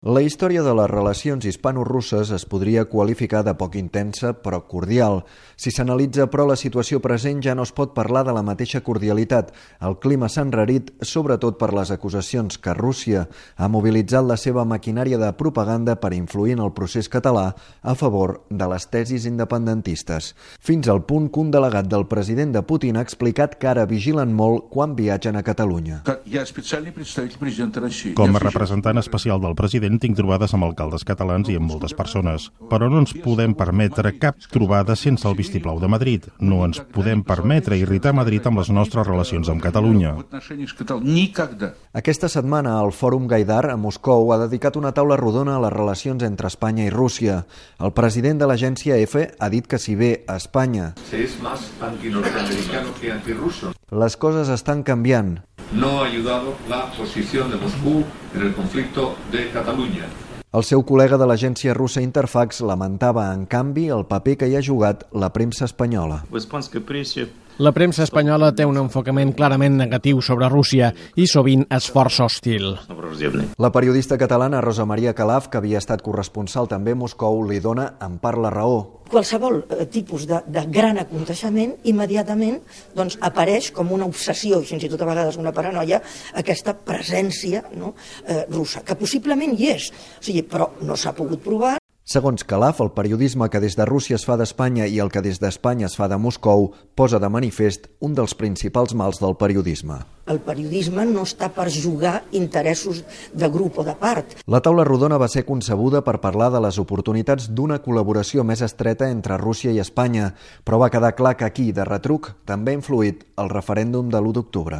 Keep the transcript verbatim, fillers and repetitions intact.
La història de les relacions hispano-russes es podria qualificar de poc intensa però cordial. Si s'analitza, però, la situació present ja no es pot parlar de la mateixa cordialitat. El clima s'ha enrarit, sobretot per les acusacions que Rússia ha mobilitzat la seva maquinària de propaganda per influir en el procés català a favor de les tesis independentistes. Fins al punt que un delegat del president de Putin ha explicat que ara vigilen molt quan viatgen a Catalunya. Com a representant especial del president, tinc trobades amb alcaldes catalans i amb moltes persones, però no ens podem permetre cap trobada sense el vistiplau de Madrid. No ens podem permetre irritar Madrid amb les nostres relacions amb Catalunya. Aquesta setmana, el Fòrum Gaidar a Moscou ha dedicat una taula rodona a les relacions entre Espanya i Rússia. El president de l'agència E F E ha dit que si bé a Espanya les coses estan canviant, no ha ayudado la posición de Moscú en el conflicto de Cataluña. El seu col·lega de l'agència russa Interfax lamentava, en canvi, el paper que hi ha jugat la premsa espanyola. La premsa espanyola té un enfocament clarament negatiu sobre Rússia i sovint és força hostil. La periodista catalana Rosa Maria Calaf, que havia estat corresponsal també a Moscou, li dona en part la raó. Qualsevol eh, tipus de, de gran aconteixement immediatament doncs, apareix com una obsessió i fins i tot a vegades una paranoia aquesta presència no, eh, russa, que possiblement hi és, o sigui, però no s'ha pogut provar. Segons Calaf, el periodisme que des de Rússia es fa d'Espanya i el que des d'Espanya es fa de Moscou posa de manifest un dels principals mals del periodisme. El periodisme no està per jugar interessos de grup o de part. La taula rodona va ser concebuda per parlar de les oportunitats d'una col·laboració més estreta entre Rússia i Espanya, però va quedar clar que aquí, de retruc, també ha influït el referèndum de l'u d'octubre.